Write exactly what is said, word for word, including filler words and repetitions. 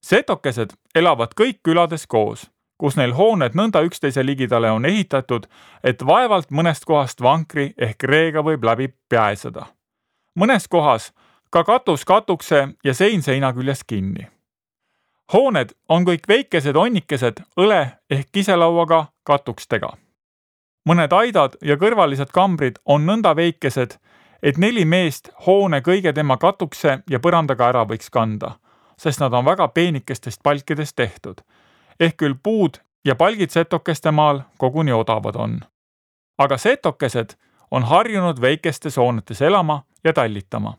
Setokesed elavad kõik külades koos, kus neil hooned nõnda üksteise ligidale on ehitatud, et vaevalt mõnest kohast vankri ehk reega võib läbi pääseda. Mõnes kohas ka katus katukse ja sein seina küljes kinni. Hooned on kõik väikesed onnikesed õle ehk kiselauaga katukstega. Mõned aidad ja kõrvalised kambrid on nõnda väikesed, et neli meest hoone kõige tema katukse ja põrandaga ära võiks kanda, sest nad on väga peenikestest palkidest tehtud. Ehk küll puud ja palgid setokeste maal koguni odavad on. Aga setokesed on harjunud väikestes hoonetes elama ja tallitama.